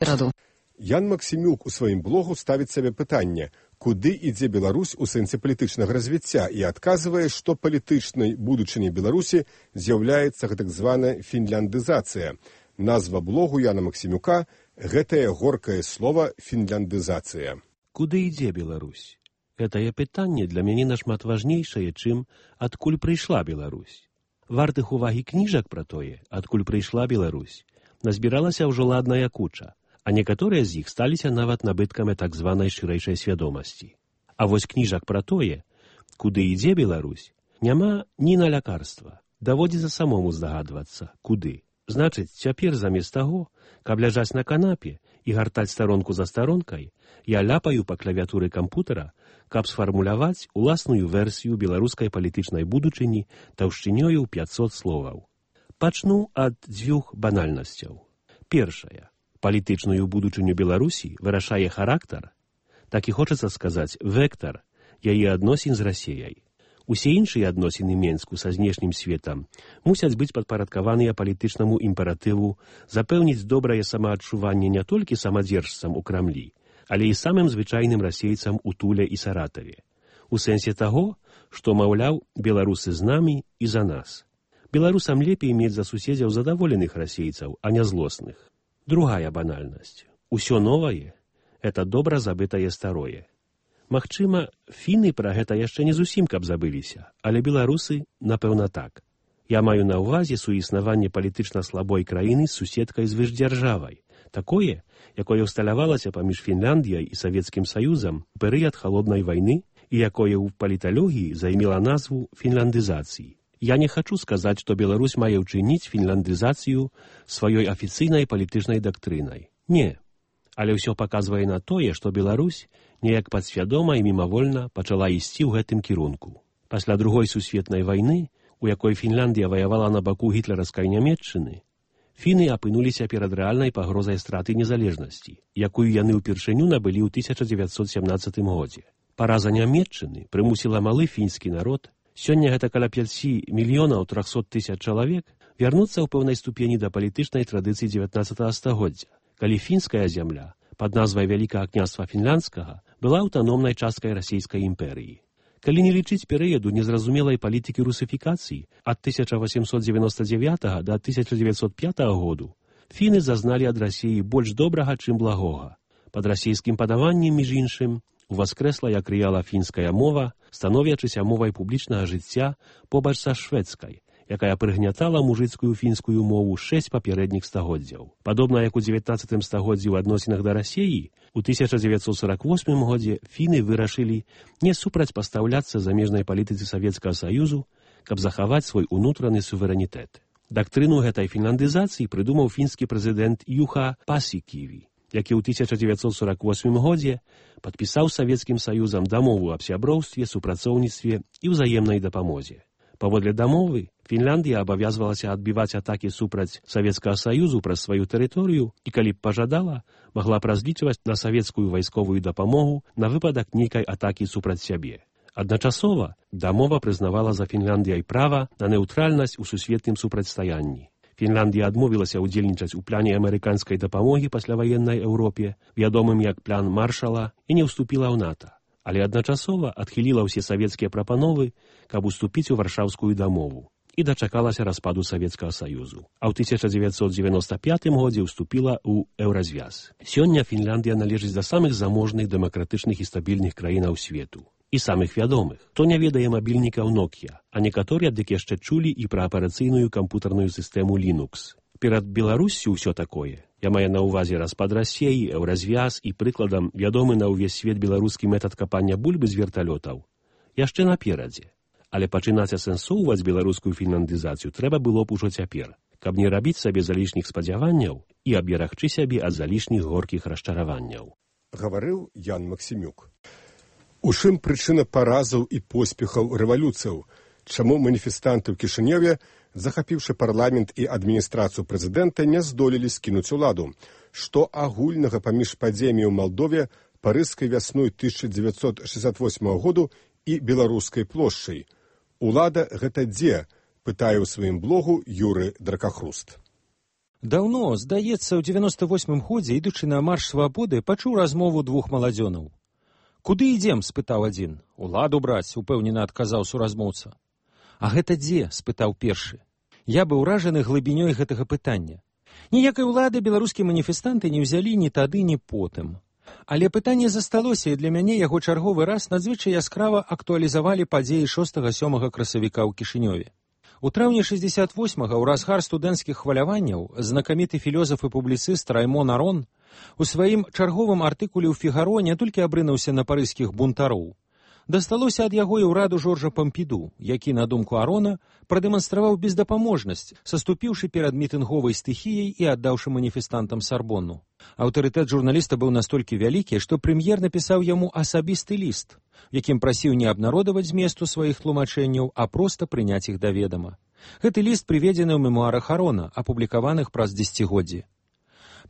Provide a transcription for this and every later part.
раду. Ян Максімюк у сваім блогу ставіць сабе пытанне, куды ідзе Беларусь у сэнсе палітычнага развіцця, і адказвае, што палітычнай будучыняй Беларусі з'яўляецца гэтак званая фінляндызацыя. Назва блогу Яна Максімюка – гэтае горкае слова фінляндызацыя. Куды ідзе Беларусь? Гэтае пытанне для мяне нашмат важнейшае, чым адкуль прыйшла Беларусь. Вартых увагі кніжак пра тое, адкуль прыйшла Беларусь, назбіралася ўжо ладная куча, а некаторыя з іх сталіся нават набыткамі так званай шырэйшай свядомасці. А вось кніжак пра тое, куды ідзе Беларусь, няма ні на лякарства. Даводзіцца самому здагадвацца, куды. Значыць, цяпер замест таго, каб ляжаць на канапе і гартаць старонку за старонкай, я ляпаю па клавіатуры кампутара, каб сфармуляваць уласную версію беларускай палітычнай будучыні таўшчынёю 500 словаў. Пачну ад дзвюх банальнасцяў. Першая. Палітычную будучыню Беларусі вырашае характар, так і хочацца сказаць вектар яе адносін з Расіяй. Усе іншыя адносіны Менску са знешнім светам мусяць быць падпарадкаваныя палітычнаму імператыву запэўніць добрае самаадчуванне не толькі самадзержцам у Крамлі, але і самым звычайным расейцам у Туле і Саратаве. У сэнсе таго, што, маўляў, беларусы з намі і за нас. Беларусам лепей мець за суседзяў задаволеных расейцаў, а не злосных. Другая банальнасць. Усё новае – это добра забытае старое. Магчыма, фіны пра гэта яшчэ не зусім каб забыліся, але беларусы, напэўна, так. Я маю на ўвазе суіснаванне палітычна слабой краіны з суседкай звышдзяржавай, такое, якое ўсталявалася паміж Фінляндіяй і Савецкім Саюзам у перыяд халоднай вайны і якое ў паліталогіі займела назву фінляндызацыі. Я не хачу сказаць, што Беларусь мае ўчыніць фінляндызацыю сваёй афіцыйнай палітычнай дактрынай. Не. Але ўсё паказвае на тое, што Беларусь неяк падсвядома і мімавольна пачала ісці ў гэтым кірунку. Пасля Другой сусветнай вайны, у якой Фінляндія ваявала на баку гітлераўскай Нямецчыны, фіны апынуліся перад рэальнай пагрозай страты незалежнасці, якую яны ўпершыню набылі ў 1917 годзе. Параза Нямецчыны прымусіла малы фінскі народ, сёння гэта каля 5 мільёнаў 300 тысяч чалавек, вярнуцца ў пэўнай ступені да палітычнай традыцыі 19 стагоддзя, калі фінская зямля пад назвай Вялікага княства Фінляндскага была аўтаномнай часткай расійскай імперыі. Калі не лічыць перыяду незразумелай палітыкі русіфікацыі ад 1899 да 1905 году, фіны зазналі ад Расіі больш добрага, чым благога. Пад расійскім падаваннем, між іншым, уваскрэсла як рэяла фінская мова, становячыся мовай публічнага жыцця побач са шведскай, якая прыгнятала мужыцкую фінскую мову 6 папярэдніх стагоддзяў. Падобна як у 19 стагоддзі ў адносінах да Расіі, у 1948 годзе фіны вырашылі не супрацьпастаўляцца замежнай палітыцы Савецкага Саюзу, каб захаваць свой унутраны суверэнітэт. Дактрыну гэтай фінляндызацыі прыдумаў фінскі прэзідэнт Юха Пасіківі, які ў 1948 годзе падпісаў з Савецкім Саюзам дамову аб сяброўстве, супрацоўніцтве і ўзаемнай дапамозе. Паводле дамовы, Фінляндія абавязвалася адбіваць атакі супраць Савецкага Саюзу праз сваю тэрыторыю і, калі б пажадала, магла б разлічваць на савецкую вайсковую дапамогу на выпадак нейкай атакі супраць сябе. Адначасова дамова прызнавала за Фінляндіяй права на нейтральнасць у сусветным супрацьстаянні. Фінляндія адмовілася ўдзельнічаць у пляне амерыканскай дапамогі пасляваеннай Еўропе, вядомым як план Маршала, і не ўступіла ў НАТО. Але адначасова адхіліла ўсе савецкія прапановы, каб уступіць у Варшаўскую дамову і дачакалася распаду Савецкага Саюзу. А ў 1995 годзе ўступіла ў Еўразвяз. Сёння Фінляндія належыць да самых заможных, дэмакратычных і стабільных краінаў свету. І самых вядомых. Хто не ведае мабільнікаў Nokia, а некаторыя дык яшчэ чулі і пра апарацыйную кампутарную сістэму Linux. Перад Беларуссю ўсё такое. Я маю на ўвазе распад Расіі, Еўразвяз і прыкладам вядомы на ўвесь свет беларускі метад капання бульбы з верталётаў. Яшчэ наперадзе. Але пачынаць асэнсоўваць беларускую фінляндызацыю трэба было б ужо цяпер, каб не рабіць сабе залішніх спадзяванняў і аберагчы сябе ад залішніх горкіх расчараванняў. Гаварыў Ян Максімюк. У чым прычына паразаў і поспехаў рэвалюцыяў? Чаму маніфестанты ў Кішынёве, захапіўшы парламент і адміністрацыю прэзідэнта, не здолелі скінуць уладу? Што агульнага паміж падзеямі ў Малдове, парыжскай вясной 1968 году і беларускай плошчай? Улада гэта дзе? Пытае ў сваім блогу Юры Дракахруст. Даўно, здаецца, ў 98-м годзе, ідучы на марш свабоды, пачуў размову двух маладзёнаў. «Куды ідзем?» – спытаў адзін. «Уладу браць», – упэўнена адказаў суразмоўца. «А гэта дзе?» – спытаў першы. Я быў уражаны глыбінёй гэтага пытання. Ніякай улады беларускія маніфестанты не ўзялі ні тады, ні потым. Але пытанне засталося, і для мяне яго чарговы раз надзвычай яскрава актуалізавалі падзеі 6-7 красавіка ў Кішынёве. У траўні 68-га, ў разгар студэнцкіх хваляванняў, знакаміты філёзаф і публіцыст Раймон Арон у сваім чарговым артыкуле ў «Фігаро» не толькі абрынуўся на парыжскіх бунтароў. Дасталося ад яго і ўраду Жоржа Пампіду, які, на думку Арона, прадэманстраваў бездапаможнасць, саступіўшы перад мітынговай стыхіяй і аддаўшы маніфестантам Сарбонну. Аўтарытэт журналіста быў настолькі вялікі, што прэм'ер напісаў яму асабісты ліст, якім прасіў не абнародаваць зместу сваіх тлумачэнняў, а проста прыняць іх да ведама. Гэты ліст прыведзены ў мемуарах Арона, апублікаваных праз дзесяцігоддзі.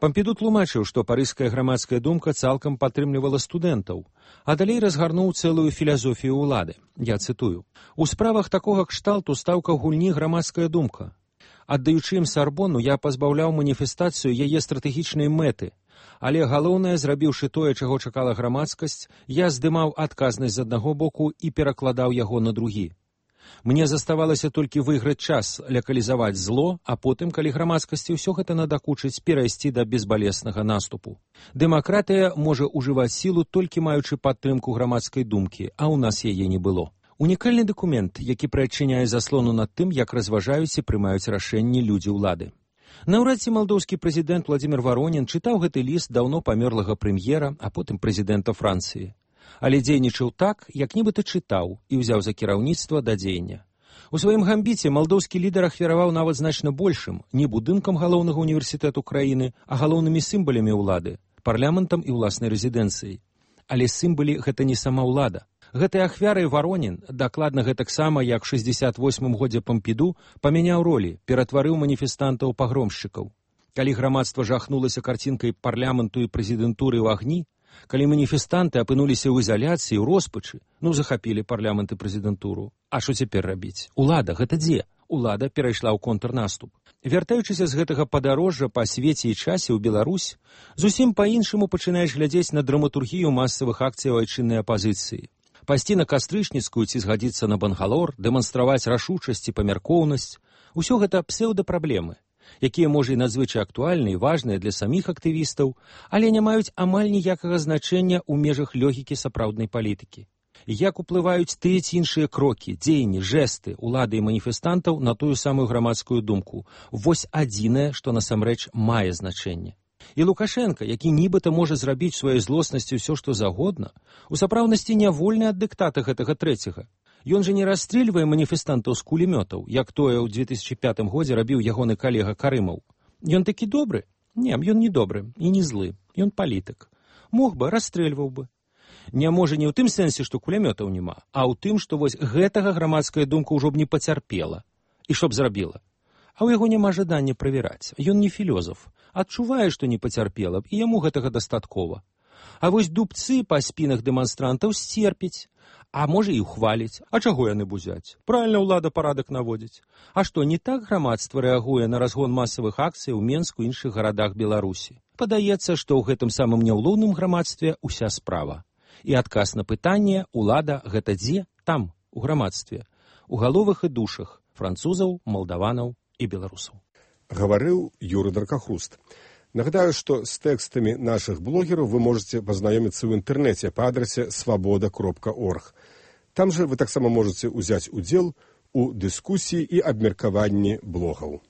Пампіду тлумачыў, што парыжская грамадская думка цалкам падтрымлівала студэнтаў, а далей разгарнуў цэлую філасофію ўлады. Я цытую. «У справах такога кшталту стаўка ў гульні грамадская думка. Аддаючы ім Сарбонну, я пазбаўляў маніфестацыю яе стратэгічнай мэты, але галоўнае, зрабіўшы тое, чаго чакала грамадскасць, я здымаў адказнасць з аднаго боку і перакладаў яго на другі. Мне заставалася толькі выйграць час, лакалізаваць зло, а потым, калі грамадскасці ўсё гэта надакучыць, перайсці да безбалеснага наступу. Дэмакратыя можа ўжываць сілу толькі маючы падтрымку грамадскай думкі, а ў нас яе не было». Унікальны дакумент, які прыадчыняе заслону над тым, як разважаюць і прымаюць рашэнні людзі ўлады. Наўрад ці малдоўскі прэзідэнт Владзімір Варонін чытаў гэты ліст даўно памёрлага прэм'ера, а потым прэзідэнта Францыі. Але дзейнічаў так, як нібыта чытаў і ўзяў за кіраўніцтва да дзеяння. У сваім гамбіце малдоўскі лідар ахвяраваў нават значна большым, не будынкам галоўнага універсітэту краіны, а галоўнымі сімбалямі ўлады, парламентам і ўласнай рэзідэнцыяй. Але сімбалі гэта не сама ўлада. Гэтай ахвярай Варонін, дакладна гэтаксама, як у 68-м годзе Пампіду, памяняў ролі, ператварыў маніфестантаў пагромшчыкаў. Калі грамадства жахнулася карцінкай парламенту і прэзідэнтуры ў агні, калі маніфестанты апынуліся ў ізаляцыі, ў роспачы, захапілі парламент і прэзідэнтуру. А што цяпер рабіць? Улада гэта дзе? Улада перайшла ў контрнаступ. Вяртаючыся з гэтага падарожжа па свеце і часе ў Беларусь, зусім па-іншаму пачынаеш глядзець на драматургію масавых акцый айчыннай апазіцыі. Пайсці на Кастрычніцкую ці згадзіцца на Бангалор, дэманстраваць рашучасць і памяркоўнасць – усё гэта псеўдапраблемы, якія, можа, і надзвычай актуальныя і важныя для саміх актывістаў, але не маюць амаль ніякага значэння ў межах логікі сапраўднай палітыкі. Як уплываюць тыя ці іншыя крокі, дзеянні, жэсты улады і маніфестантаў на тую самую грамадскую думку – вось адзінае, што насамрэч мае значэнне. І Лукашенка, які нібыта можа зрабіць сваёй злоснасці ўсё, што загодна, у сапраўднасці не вольны ад дыктата гэтага трэцяга. Ён жа не расстрэльвае маніфестантаў з кулемётаў, як тое ў 2005 годзе рабіў ягоны калега Карымаў. Ён такі добры? Не, ён не добры і не злы. Ён палітык. Мог бы, расстрэльваў бы. Не можа не ў тым сэнсе, што кулемётаў няма, а ў тым, што вось гэтага грамадская думка ўжо б не пацярпела. І што б зрабіла? А ў яго няма жадання правяраць. Ён не філёзаф. Адчувае, што не пацярпела б, і яму гэтага дастаткова. А вось дубцы па спінах дэманстрантаў сцерпіць. А можа, і ўхваліць. А чаго яны бузяць? Правільна ўлада парадак наводзіць. А што, не так грамадства рэагуе на разгон масавых акцый у Менску і іншых гарадах Беларусі? Падаецца, што ў гэтым самым няўлоўным грамадстве ўся справа. І адказ на пытанне «Улада гэта дзе?» Там, у грамадстве. У галовах і душах французаў, малдаванаў і беларусаў. Гаварыў Юрый Даркахуст. Нагадаю, што з тэкстамі нашых блогераў вы можаце пазнаёміцца ў інтэрнэце па адрасе свабода.орг. Там жа вы таксама можаце ўзяць удзел у дыскусіі і абмеркаванні блогаў.